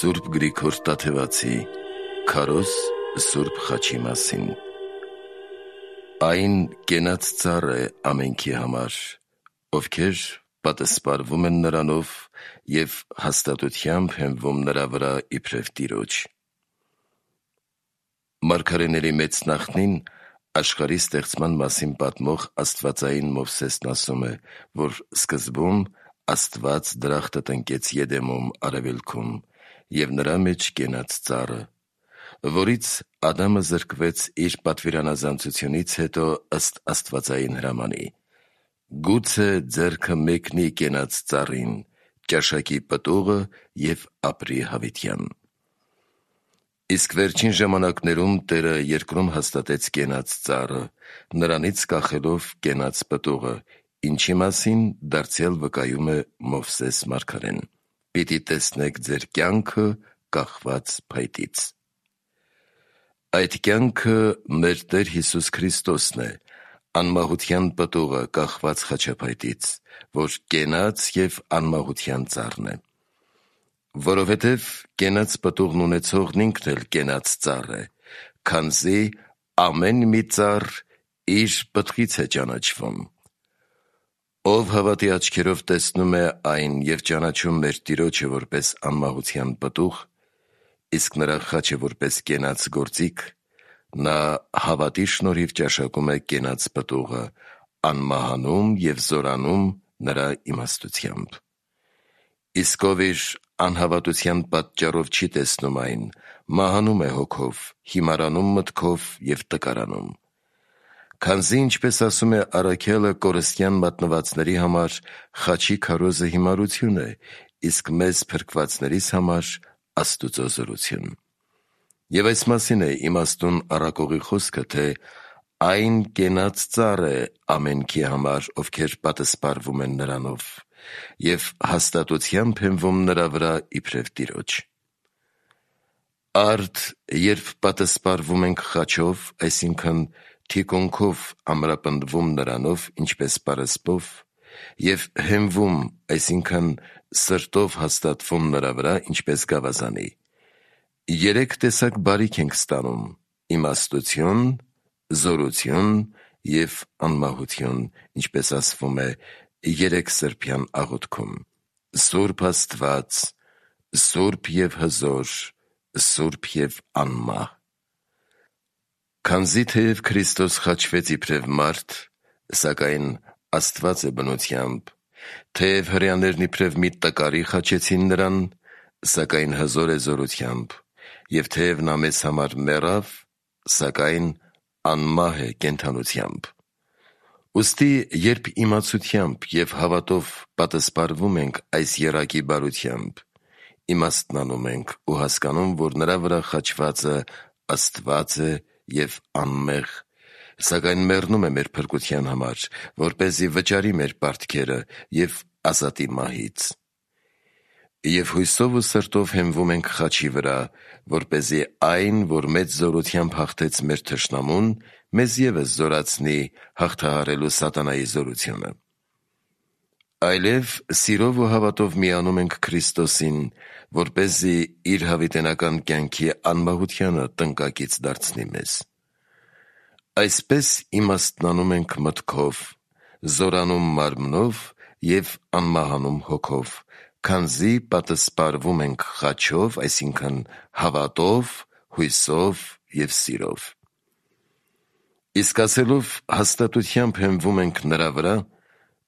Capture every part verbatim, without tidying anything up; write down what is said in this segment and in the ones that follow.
Սուրբ Գրիգոր Տաթևացի Քարոզ Սուրբ Խաչի մասին։ Այն կենաց ծառ է ամենքի համար, ովքեր պատասպարվում են նրանով և հաստատությամբ հենվում նրա վրա իբրև Տիրոջ։ Մարգարեների մեծ նախնին, աշխարհի ստեղծման մասին պատմող աստվածային Մովսեսն ասում է, որ սկզբում Աստված դրախտը տնկեց Եդեմում արևելքում և նրա մեջ կենաց ծառը, որից Ադամը զրկվեց իր պատվիրանազանցությունից հետո ըստ աստվածային հրամանի. «Գուցե ձեռքը մեկնի կենաց ծառին, ճաշակի պտուղը և ապրի հավիտյան»։ Իսկ վերջին ժամանակներում Տերը երկրում հաստատեց կենաց ծառը, նրանից կախելով կենաց պտուղը, ինչի մասին դարձյալ վկայում է Մովսես մարգարեն. «Պիտի տեսնեք ձեր կյանքը կախված փայտից»։ Այդ կյանքը մեր Տեր Հիսուս Քրիստոսն է, անմահության պտուղը կախված խաչափայտից, որ կենաց և անմահության ծառն է։ Որովհետև կենաց պտուղն ունեցողն ինքն էլ կենաց ծառ է, քանզի ամեն մի ծառ իր պտղից է ճանաչվում։ Ով հավատի աչքերով տեսնում է այն և ճանաչում մեր Տիրոջը որպես անմահության պտուղ, իսկ նրա խաչը որպես կենաց գործիք, նա հավատի շնորհիվ ճաշակում է կենաց պտուղը, անմահանում և զորանում նրա իմաստությամբ։ Իսկ ով իր անհավատության պատճառով չի տեսնում այն, մահանում է հոգով, հիմարանում մտքով և տկարանում։ Քանզի ինչպես ասում է առաքյալը կորստյան մատնվածների համար, խաչի քարոզը հիմարություն է, իսկ մեզ փրկվածներիս համար Աստուծո զորություն։ Եվ այս մասին է իմաստուն առակողի խոսքը, թե այն կենաց ծառ է ամենքի համար, ովքեր պատասպարվում են նրանով և հաստատությամբ հենվում նրա վրա իբրև Տիրոջ։ Արդ երբ պատասպարվում ենք խաչով, այսինքն թիկունքով ամրապնդվում նրանով, ինչպես պարսպով, և հենվում, այսինքն սրտով հաստատվում նրա վրա, ինչպես գավազանի, երեք տեսակ բարիք ենք ստանում՝ իմաստություն, զորություն և անմահություն, ինչպես ասվում է երեքսրբյան աղոթքում. «Սուրբ Աստված, սուրբ և հզոր, սուրբ և անմահ»։ Քանզի թեև Քրիստոս խաչվեց իբրև մարդ, սակայն Աստված է բնությամբ, թեև հրեաներն իբրև մի տկարի խաչեցին նրան, սակայն հզոր է զորությամբ, և թեև նա մեզ համար մեռավ, սակայն անմահ է կենդանությամբ։ Ուստի երբ իմացությամբ և հավատով պատասպարվում ենք այս եռակի բարությամբ, իմաստնանում ենք ու հասկանում, որ նրա վրա խաչվածը Աստված է և անմեղ, սակայն մեռնում է մեր փրկության համար, որպեսզի վճարի մեր պարտքերը և ազատի մահից։ Եվ հույսով ու սրտով հենվում ենք խաչի վրա, որպեսզի այն, որ մեծ զորությամբ հաղթեց մեր թշնամուն, մեզ ևս զորացնի հաղթահարելու սատանայի զորությունը։ Այլև սիրով ու հավատով միանում ենք Քրիստոսին, որպեսզի իր հավիտենական կյանքի անմահությանը տնկակից դարձնի մեզ։ Այսպես իմաստնանում ենք մտքով, զորանում մարմնով և անմահանում հոգով, քանզի պատասպարվում ենք խաչով, այսինքն հավատով, հույսով և սիրով։ Իսկ ասելով հաստատությամբ հենվում ենք նրա վրա,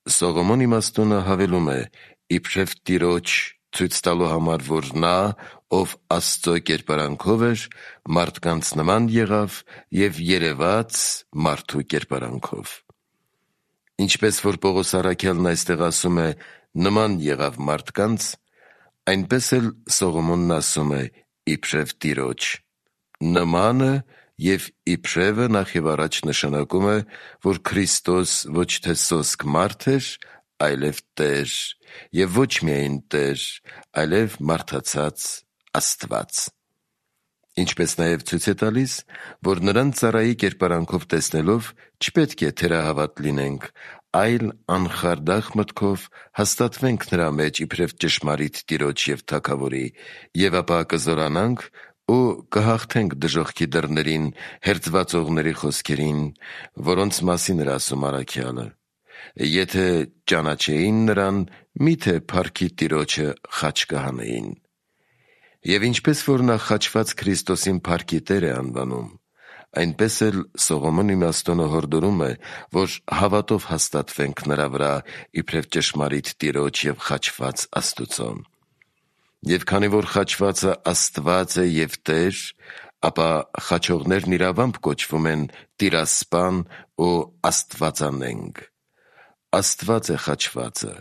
Սողոմոն իմաստունը հավելում է իբրև Տիրոջ, ցույց տալու համար, որ նա, ով Աստծո կերպարանքով էր, մարդկանց նման եղավ և երևաց մարդու կերպարանքով։ Ինչպես որ Պողոս առաքյալն այստեղ ասում է նման եղավ մարդկանց, այնպես էլ Սողոմոնն ասում է իբրև Տիրոջ։ Նմանը և իբրևը նախևառաջ նշանակում է, որ Քրիստոս ոչ թե սոսկ մարդ էր, այլև Տեր, և ոչ միայն Տեր, այլև մարդացած Աստված։ Ինչպես նաև ցույց է տալիս, որ նրան ծառայի կերպարանքով տեսնելով չպետք է թերահավատ լինենք, այլ անխարդախ մտքով հաստատվենք նրա մեջ իբրև ճշմարիտ Տիրոջ և Թագավորի, և ապա կզորանանք ու կհաղթենք դժոխքի դռներին հերձվածողների խոսքերին, որոնց մասին էր ասում առաքյալը. «Եթե ճանաչեին նրան, միթե փառքի Տիրոջը խաչ կհանեին»։ Եվ ինչպես որ նա խաչված Քրիստոսին փառքի Տեր է անվանում, այնպես էլ Սողոմոն իմաստունը հորդորում է, որ հավատով հաստատվենք նրա վրա իբրև ճշմարիտ Տիրոջ և խաչված Աստուծո։ Եվ քանի որ խաչվածը Աստված է և Տեր, ապա խաչողներն իրավամբ կոչվում են տիրասպան ու աստվածանենգ։ Աստված է խաչվածը,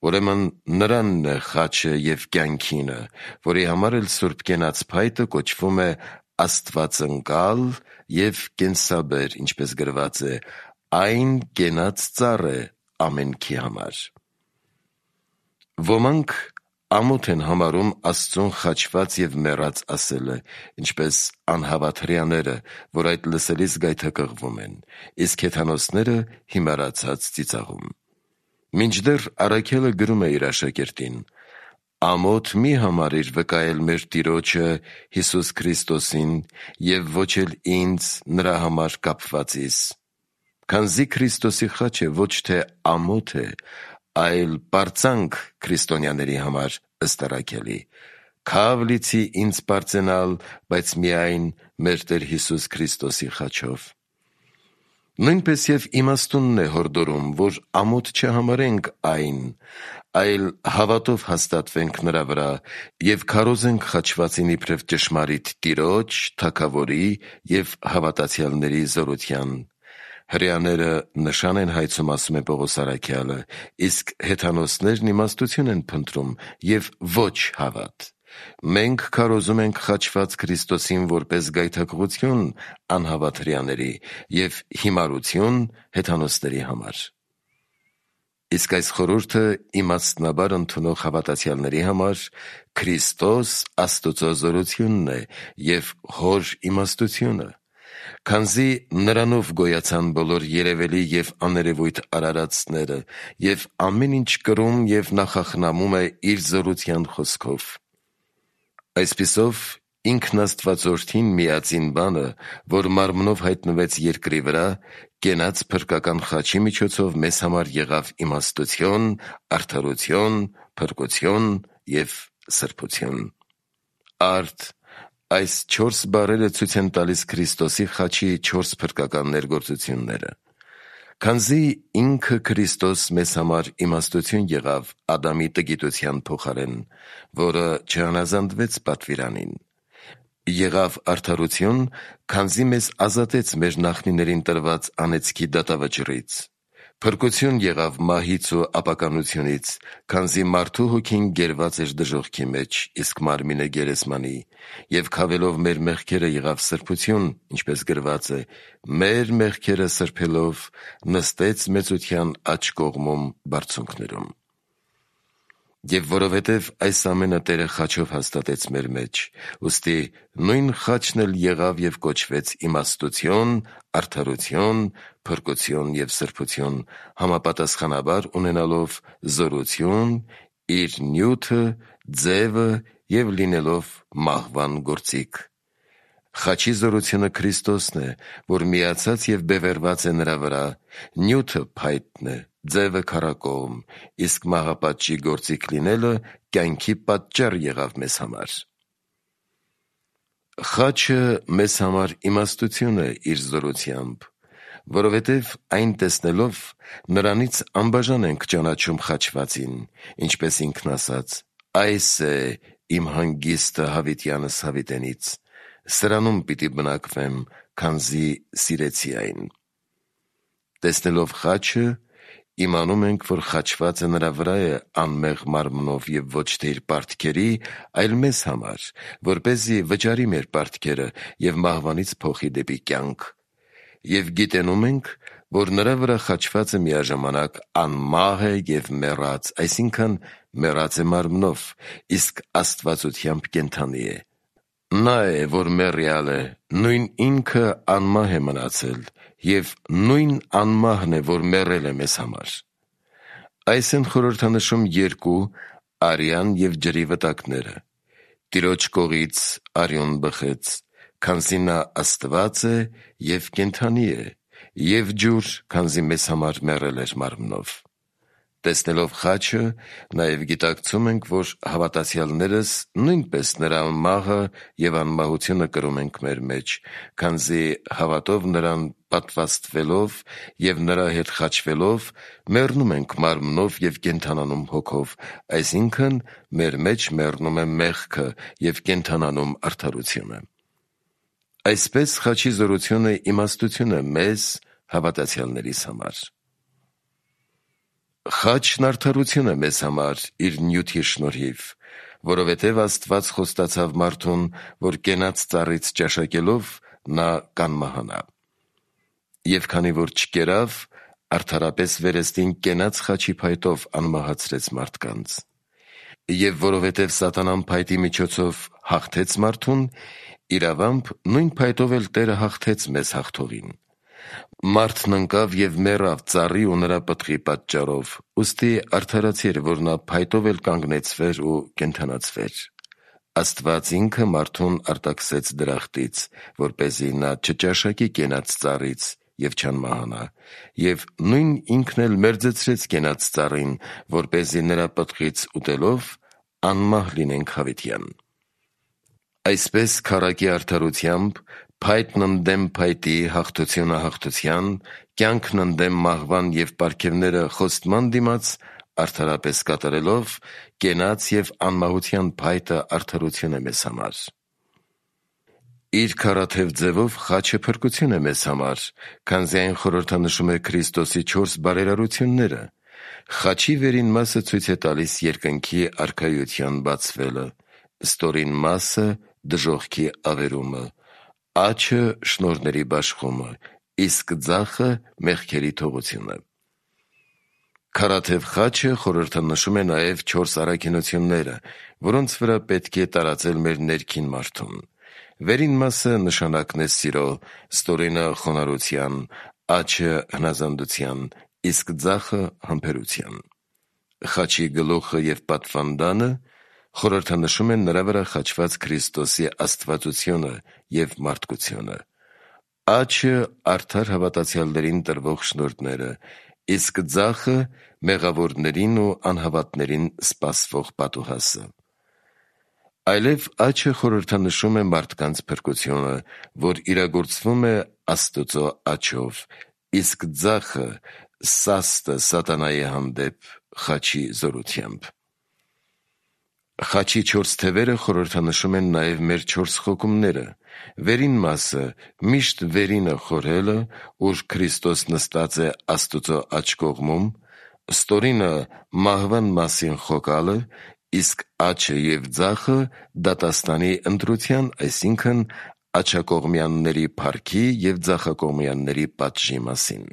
ուրեմն նրանն է խաչը և կյանքինը, որի համար էլ Սուրբ կենաց փայտը կոչվում է աստվածընկալ և կենսաբեր, ինչպես գրված է. այն կենաց ծառ է ամենքի համար։ Ոմանք ամոթ են համարում Աստծուն խաչված և մեռած ասելը, ինչպես անհավատ հրեաները, որ այդ լսելիս գայթակղվում են, իսկ հեթանոսները հիմարացած ծիծաղում։ Մինչդեռ առաքյալը գրում է իր աշակերտին. «Ամոթ մի համարիր վկայել մեր Տիրոջը Հիսուս Քրիստոսին և ոչ էլ ինձ նրա համար կապվածիս, քանզի Քրիստոսի խաչը ոչ թե ամոթ է, այլ պարծանք քրիստոնյաների համար ըստ առաքյալի. քավ լիցի ինձ պարծենալ, բայց միայն մեր Տեր Հիսուս Քրիստոսի խաչով»։ Նույնպես և իմաստունն է հորդորում, որ ամոթ չհամարենք այն, այլ հավատով հաստատվենք նրա վրա և քարոզենք խաչվածին իբրև ճշմարիտ Տիրոջ, Թագավորի և հավատացյալների զորության։ Հրեաները նշան են հայցում, ասում է Պողոս առաքյալը, իսկ հեթանոսներն իմաստություն են փնտրում և ոչ հավատ։ Մենք քարոզում ենք խաչված Քրիստոսին որպես գայթակղություն անհավատ հրեաների և հիմարություն հեթանոսների համար։ Իսկ այս խորհուրդը իմաստնաբար ընդունող հավատացյալների համար Քրիստոս Աստուծո զորությունն է և հոր իմաստությունը, քանզի նրանով գոյացան բոլոր երևելի և աներևույթ արարածները, և ամեն ինչ կրում և նախախնամում է իր զորության խոսքով։ Այսպիսով, ինքն Աստվածորդին միածին բանը, որ մարմնով հայտնվեց երկրի վրա, կենաց փրկական խաչի միջոցով մեզ համար եղավ իմաստություն, արդարություն, փրկություն և սրբություն։ Արդ այս չորս բառերը ցույց են տալիս Քրիստոսի խաչի չորս փրկական ներգործությունները։ Քանզի ինքը Քրիստոս մեզ համար իմաստություն եղավ Ադամի տգիտության փոխարեն, որը չհնազանդվեց պատվիրանին, եղավ արդարություն, քանզի մեզ ազատեց մեր նախնիներին տրված անեծքի դատավճռից, փրկություն եղավ մահից ու ապականությունից, քանզի մարդու հոգին գերված էր դժոխքի մեջ, իսկ մարմինը գերեզմանի, և քավելով մեր մեղքերը եղավ սրբություն, ինչպես գրված է. մեր մեղքերը սրբելով նստեց մեծության աջ կողմում բարձունքներում։ Եվ որովհետև այս ամենը Տերը խաչով հաստատեց մեր մեջ, ուստի նույն խաչն էլ եղավ և կոչվեց իմաստություն, արդարություն, փրկություն և սրբություն, համապատասխանաբար ունենալով զորություն, իր նյութը, ձևը և լինելով մահվան գործիք։ Խաչի զորությունը Քրիստոսն է, որ միացած և բևեռված է նրա վրա, նյութը փայտն է, ձևը քառակողմ, իսկ մահապատժի գործիք լինելը կյանքի պատճառ եղավ մեզ համար։ Խաչը մեզ համար իմաստություն է իր զորությամբ, որովհետև այն տեսնելով նրանից անբաժան ենք ճանաչում խաչվածին, ինչպես ինքն ասաց. «Այս է իմ հանգիստը հավիտյանս հավիտենից, սրանում պիտի բնակվեմ, քանզի սիրեցի այն»։ Տեսնելով խաչը, իմանում ենք, որ խաչվածը նրա վրա է անմեղ մարմնով և ոչ թե իր պարտքերի, այլ մեզ համար, որպեսզի վճարի մեր պարտքերը և մահվանից փոխի դեպի կյանք։ Եվ գիտենում ենք, որ նրա վրա խաչվածը միաժամանակ անմահ է և մեռած, այսինքն՝ մեռած է մարմնով, իսկ աստվածությամբ կենդանի է։ Նա է, որ մեռյալ է, նույն ինքը անմահ է մնացել, և նույն անմահն է, որ մեռել է մեզ համար։ Այս են խորհրդանշում երկու արյան և ջրի վտակները։ Տիրոջ կողից արյուն բխեց, քանզի նա Աստված է և կենդանի է, և ջուր, քանզի մեզ համար մեռել էր մարմնով։ Տեսնելով խաչը, նաև գիտակցում ենք, որ հավատացյալներս նույնպես նրա մահը և անմահությունը կրում ենք մեր մեջ, քանզի հավատով նրան պատվաստվելով և նրա հետ խաչվելով մեռնում ենք մարմնով և կենդանանում հոգով, այսինքն մեր մեջ մեռնում է մեղքը և կենդանանում արդարությունը։ Այսպես խաչի զորությունը իմաստություն է մեզ, հավատացյալներիս համար։ Խաչն արդարություն է մեզ համար իր նյութի շնորհիվ, որովհետև Աստված խոստացավ մարդուն, որ կենաց ծառից ճաշակելով նա կանմահանա։ Եվ քանի որ չկերավ, արդարապես վերստին կենաց խաչի փայտով անմահացրեց մարդկանց։ Եվ որովհետև սատանան փայտի միջոցով հաղթեց մարդուն, իրավամբ նույն փայտով էլ Տերը հաղթեց մեզ հաղթողին։ Մարդն ընկավ և մեռավ ծառի ու նրա պտղի պատճառով, ուստի արդարացի էր, որ նա փայտով էլ կանգնեցվեր ու կենդանացվեր։ Աստված ինքը մարդուն արտաքսեց դրախտից, որպեսզի նա չճաշակի կենաց ծառից և չանմահանա, և նույն ինքն էլ մերձեցրեց կենաց ծառին, որպեսզի նրա պտղից ուտելով անմահ լինենք հավիտյան։ Այսպես քառակի արդարությամբ փայտն ընդդեմ փայտի, հաղթությունը հաղթության, կյանքն ընդդեմ մահվան և պարգևները խոստման դիմաց արդարապես կատարելով, կենաց և անմահության փայտը արդարություն է մեզ համար։ Իր քառաթև ձևով խաչը փրկություն է մեզ համար, քանզի այն խորհրդանշում է Քրիստոսի չորս բարերարությունները։ Խաչի վերին մասը ցույց է տալիս երկնքի արքայության բացվելը, ստորին մասը դժոխքի ավերումը, աջը շնորհների բաշխումը, իսկ ձախը մեղքերի թողությունը։ Քառաթև խաչը խորհրդանշում է նաև չորս առաքինությունները, որոնց վրա պետք է տարածել մեր ներքին մարդուն։ Վերին մասը նշանակն է սիրո, ստորինը խոնարհության, աջը հնազանդության, իսկ ձախը համբերության։ Խաչի գլուխը և պատվանդանը խորհրդանշում են նրա վրա խաչված Քրիստոսի աստվածությունը և մարդկությունը։ Աջը արդար հավատացյալներին տրվող շնորհները, իսկ ձախը մեղավորներին ու անհավատներին սպասվող պատուհասը։ Այլև աջը խորհրդանշում է մարդկանց փրկությունը, որ իրագործվում է Աստծո աջով, իսկ ձախը սաստը սատանայի հանդեպ խաչի զորությամբ։ Խաչի չորս թևերը խորհրդանշում են նաև մեր չորս խոկումները։ Վերին մասը միշտ վերինը խորհելը, ուր Քրիստոս նստած է Աստծո աջ կողմում, ստորինը մահվան մասին խոկալը, իսկ աջը և ձախը դատաստանի ընտրության, այսինքն աջակողմյանների փառքի և ձախակողմյանների պատժի մասին։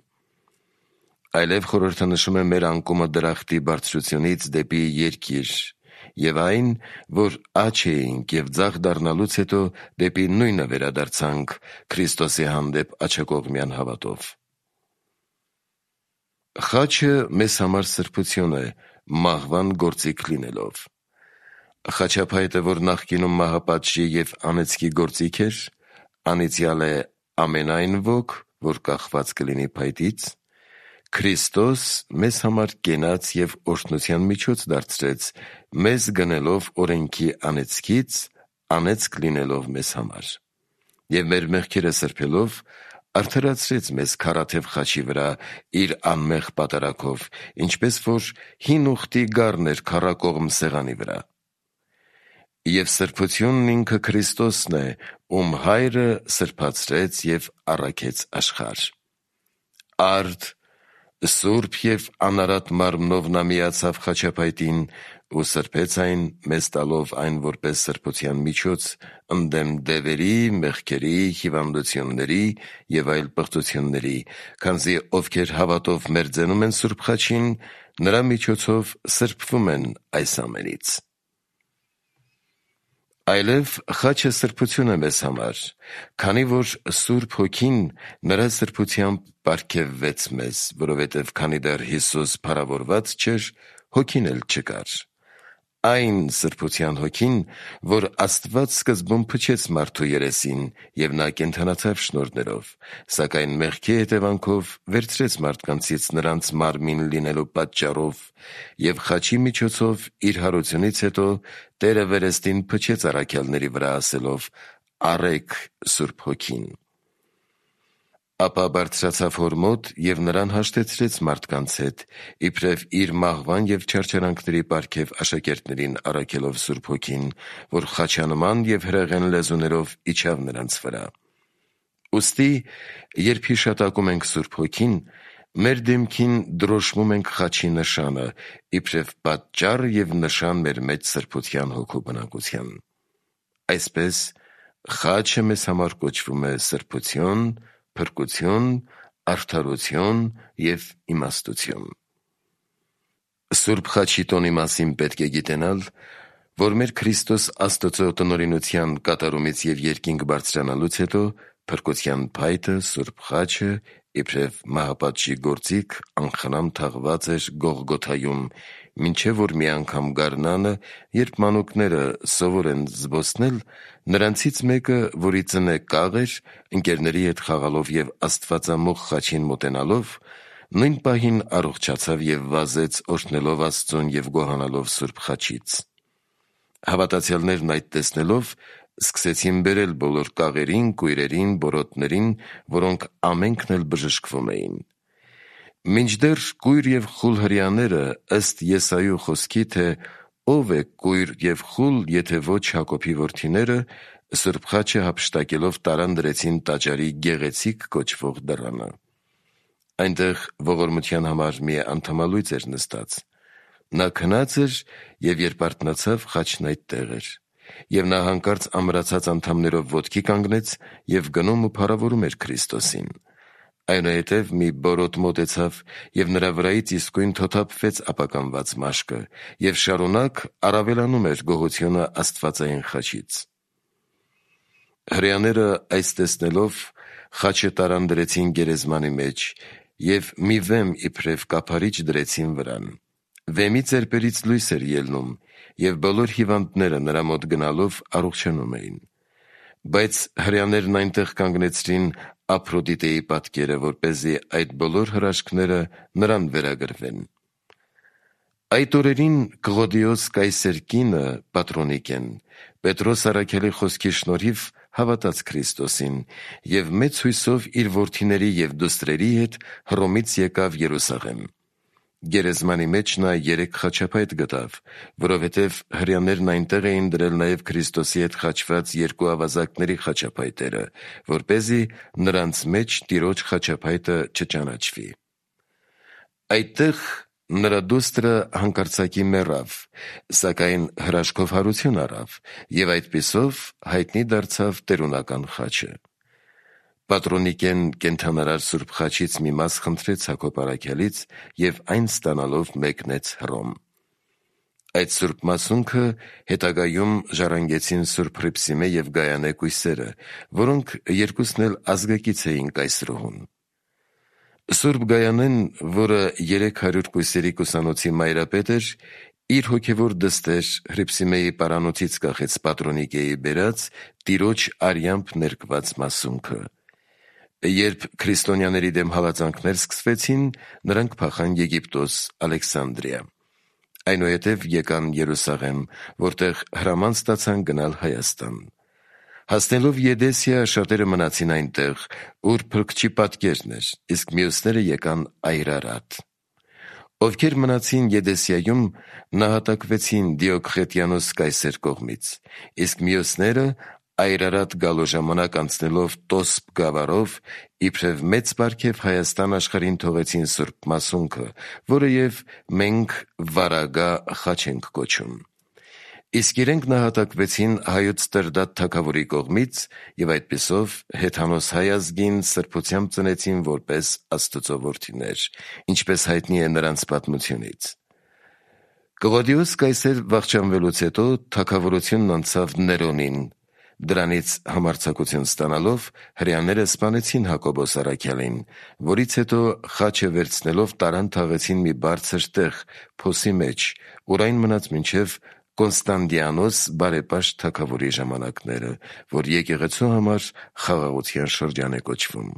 Այլև խորհրդանշում է մեր անկումը դրախտի բարձրությունից դեպի երկիր և այն, որ աջ էինք և ձախ դառնալուց հետո դեպի նույնը վերադարձանք Քրիստոսի հանդեպ աջակողմյան հավատով։ Խաչը մեզ համար սրբություն է, մահվան գործիք լինելով։ Խաչափայտը, որ նախկինում մահապատժի և անեծքի գործիք էր, անիծյալ է ամենայն ոք, որ կախված կլինի փայտից։ Քրիստոս մեզ համար կենաց և օրհնության միջոց դարձրեց, մեզ գնելով օրենքի անեծքից, անեծք լինելով մեզ համար։ Եվ մեր մեղքերը սրբելով արդարացրեց մեզ քառաթև խաչի վրա իր անմեղ պատարագով, ինչպես որ հին ուխտի գառն էր քառակողմ սեղանի վրա։ Եվ սրբությունն ինքը Քրիստոսն է, ում Հայրը սրբացրեց և առաքեց աշխարհ։ Արդ սուրբ և անարատ մարմնով նա միացավ խաչափայտին ու սրբեց այն, մեզ տալով այն որպես սրբության միջոց ընդդեմ դևերի, մեղքերի, հիվանդությունների և այլ պղծությունների, քանզի ովքեր հավատով մերձենում են սուրբ խաչին, նրա միջոցով սրբվում են այս ամենից։ Այլև խաչը սրբություն է մեզ համար, քանի որ Սուրբ Հոգին նրա սրբությամբ պարգևվեց մեզ, որովհետև քանի դեռ Հիսուս փառավորված չէր, Հոգին էլ չկար։ Այն սրբության Հոգին, որ Աստված սկզբում փչեց մարդու երեսին, և նա կենդանացավ շնորհներով, սակայն մեղքի հետևանքով վերցրեց մարդկանցից նրանց մարմին լինելու պատճառով, և խաչի միջոցով իր հարությունից հետո Տերը վերստին փչեց առաքյալների վրա ասելով. «Առեք Սուրբ Հոգին»։ Ապա բարձրացավ հոր մոտ և նրան հաշտեցրեց մարդկանց հետ, իբրև իր մահվան և չարչարանքների պարգև աշակերտներին առաքելով Սուրբ Հոգին, որ խաչանման և հրեղեն լեզուներով իջավ նրանց վրա։ Ուստի, երբ հիշատակում ենք Սուրբ Հոգին, մեր դեմքին դրոշմում ենք խաչի նշանը, իբրև պատճառ և նշան մեր մեծ սրբության հոգու բնակության։ Այսպես, խաչը մեզ համար կոչվում է սրբություն, փրկություն, արդարություն և իմաստություն։ Սուրբ խաչի տոնի մասին պետք է գիտենալ, որ մեր Քրիստոս Աստծո տնօրինության կատարումից և երկինք բարձրանալուց հետո փրկության փայտը, Սուրբ խաչը, իբրև մահապատժի գործիք, անխնամ թաղված էր Գողգոթայում, մինչև որ մի անգամ գարնանը, երբ մանուկները սովոր են զբոսնել, նրանցից մեկը, որի ծնե կաղ էր, ընկերների հետ խաղալով և աստվածամոխ խաչին մոտենալով, նույն պահին առողջացավ և վազեց օրհնելով Աստծուն և գոհանալով Սուրբ խաչից։ Հավատացյալներն այդ տեսնելով սկսեցին բերել բոլոր կաղերին, կույրերին, բորոտներին, որոնք ամենքն էլ բժշկվում էին։ Մինչդեռ կույր և խուլ հրեաները, ըստ Եսայու խոսքի, թե «Ո՞վ է կույր և խուլ, եթե ոչ Հակոբի որդիները», Սուրբ խաչը հափշտակելով տարան դրեցին տաճարի գեղեցիկ կոչվող դռանը։ Այնտեղ ողորմության համար մի անդամալույծ էր նստած։ Նա քնած էր, և երբ արթնացավ, խաչն այդտեղ էր։ Եվ նա հանկարծ ամրացած անդամներով ոտքի կանգնեց և գնում ու փառավորում էր Քրիստոսին։ Այնուհետև մի բորոտ մոտեցավ, և նրա վրայից իսկույն թոթափվեց ապականված մաշկը, և շարունակ առավելանում էր գոհությունը աստվածային խաչից։ Հրեաները այս տեսնելով խաչը տարան դրեցին գերեզմանի մեջ և մի վեմ իբրև կափարիչ դրեցին վրան։ Վեմի ծերպերից լույս էր ելնում, և բոլոր հիվանդները նրա մոտ գնալով առողջանում էին։ Բայց հրեաներն այնտեղ կանգնեցրին Ափրոդիտեի պատկերը, որպեսզի այդ բոլոր հրաշքները նրան վերագրվեն։ Այդ օրերին Կլոդիոս Կայսեր կինը, Պատրոնիկեն, Պետրոս առաքյալի խոսքի շնորհիվ հավատաց Քրիստոսին և մեծ հույսով իր որդիների և դուստրերի հետ Հռոմից եկավ Երուսաղեմ։ Գերեզմանի մեջ նա երեք խաչապայտ գտավ, որովհետև հրեաներն այնտեղ էին դրել նաև Քրիստոսի հետ խաչված երկու ավազակների խաչապայտերը, որպեսզի նրանց մեջ Տիրոջ խաչապայտը չճանաչվի։ Այդտեղ նրա դուստրը հանկարծակի մեռավ, սակայն հրաշքով հարություն առավ, և այդպիսով հայտնի դարձավ տերունական խաչը։ Պատրոնիկեն կենդանարար Սուրբ խաչից մի մաս խնդրեց Հակոբ առաքյալից և այն ստանալով մեկնեց Հռոմ։ Այդ Սուրբ մասունքը հետագայում ժառանգեցին Սուրբ Հռիփսիմե և Գայանե կույսերը, որոնք երկուսն էլ ազգակից էին կայսրուհուն։ Սուրբ Գայանեն, որը երեք հարյուր կույսերի կուսանոցի մայրապետ էր, իր հոգևոր դստեր Հռիփսիմեի պարանոցից կախեց Պատրոնիկեի բերած Տիրոջ արյամբ ներկված մասունքը։ Երբ քրիստոնյաների դեմ հալածանքներ սկսվեցին, նրանք փախան Եգիպտոս, Ալեքսանդրիա։ Այնուհետև եկան Երուսաղեմ, որտեղ հրաման ստացան գնալ Հայաստան։ Հասնելով Եդեսիա, շատերը մնացին այնտեղ, ուր Փրկչի պատկերն էր, իսկ մյուսները եկան Այրարատ։ Ովքեր մնացին Եդեսիայում, նահատակվեցին Դիոքղետիանոս կայսեր կողմից, իսկ մյուսները Այրարատ գալու ժամանակ անցնելով Տոսպ գավառով, իբրև մեծ պարգև Հայաստան աշխարհին թողեցին Սուրբ մասունքը, որը և մենք Վարագա խաչ ենք կոչում։ Իսկ իրենք նահատակվեցին Հայոց Տրդատ թագավորի կողմից և այդպիսով հեթանոս հայ ազգին սրբությամբ ծնեցին որպես Աստծո որդիներ, ինչպես հայտնի է նրանց պատմությունից։ Կլոդիոս կայսեր վախճանվելուց հետո թագավորությունն անցավ Ներոնին։ Դրանից համարձակություն ստանալով հրեաները սպանեցին Հակոբոս առաքյալին, որից հետո խաչը վերցնելով տարան թաղեցին մի բարձր տեղ փոսի մեջ, որ այն մնաց մինչև Կոնստանդիանոս բարեպաշտ թագավորի ժամանակները, որ եկեղեցու համար խաղաղության շրջան է կոչվում։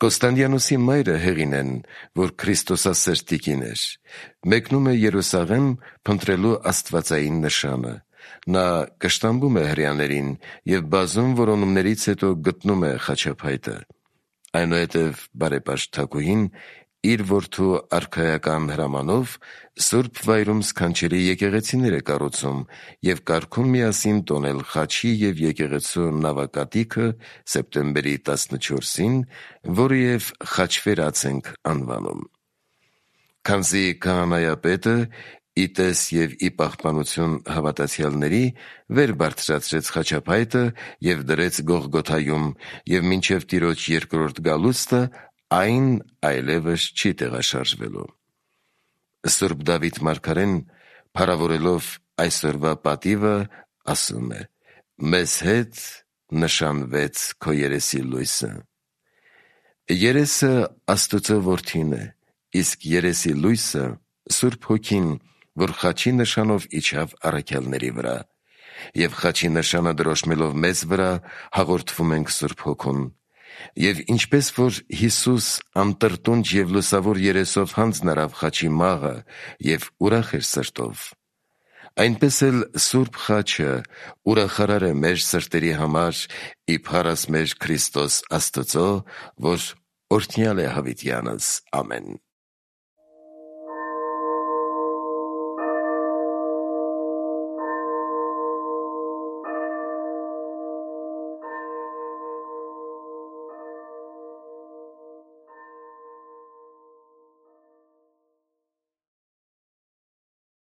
Կոնստանդիանոսի մայրը Հեղինեն, որ քրիստոսասեր տիկին էր, մեկնում է Երուսաղեմ փնտրելու աստվածային նշանը։ Նա կշտամբում է հրեաներին և բազում որոնումներից հետո գտնում է խաչափայտը։ Այնուհետև բարեպաշտ թագուհին իր որդու արքայական հրամանով սուրբ վայրում սքանչելի եկեղեցիներ է կառուցում և կարգում միասին տոնել խաչի և եկեղեցու նավակատիքը սեպտեմբերի տասնչորսին, որը և խաչվերած ենք անվանում։ Քանզի քահանայապետը ի տես և ի պահպանություն հավատացյալների վեր բարձրացրեց խաչափայտը և դրեց Գողգոթայում, և մինչև Տիրոջ երկրորդ գալուստը այն այլևս չի տեղաշարժվելու։ Սուրբ Դավիթ մարգարեն, փառավորելով այսօրվա պատիվը, ասում է. «Մեզ հետ նշանվեց քո երեսի լույսը»։ Երեսը Աստծո որդին է, իսկ երեսի լույսը Սուրբ Հոգին, որ խաչի նշանով իջավ առաքյալների վրա։ Եվ խաչի նշանը դրոշմելով մեզ վրա, հաղորդվում ենք Սուրբ Հոգուն։ Եվ ինչպես որ Հիսուս անտրտունջ և լուսավոր երեսով հանձն առավ խաչի մաղը և ուրախ էր սրտով, այնպես էլ Սուրբ խաչը ուրախարար է մեր սրտերի համար, ի փառս մեր Քրիստոս Աստծո, որ օրհնյալ է հավիտյանս։ Ամեն։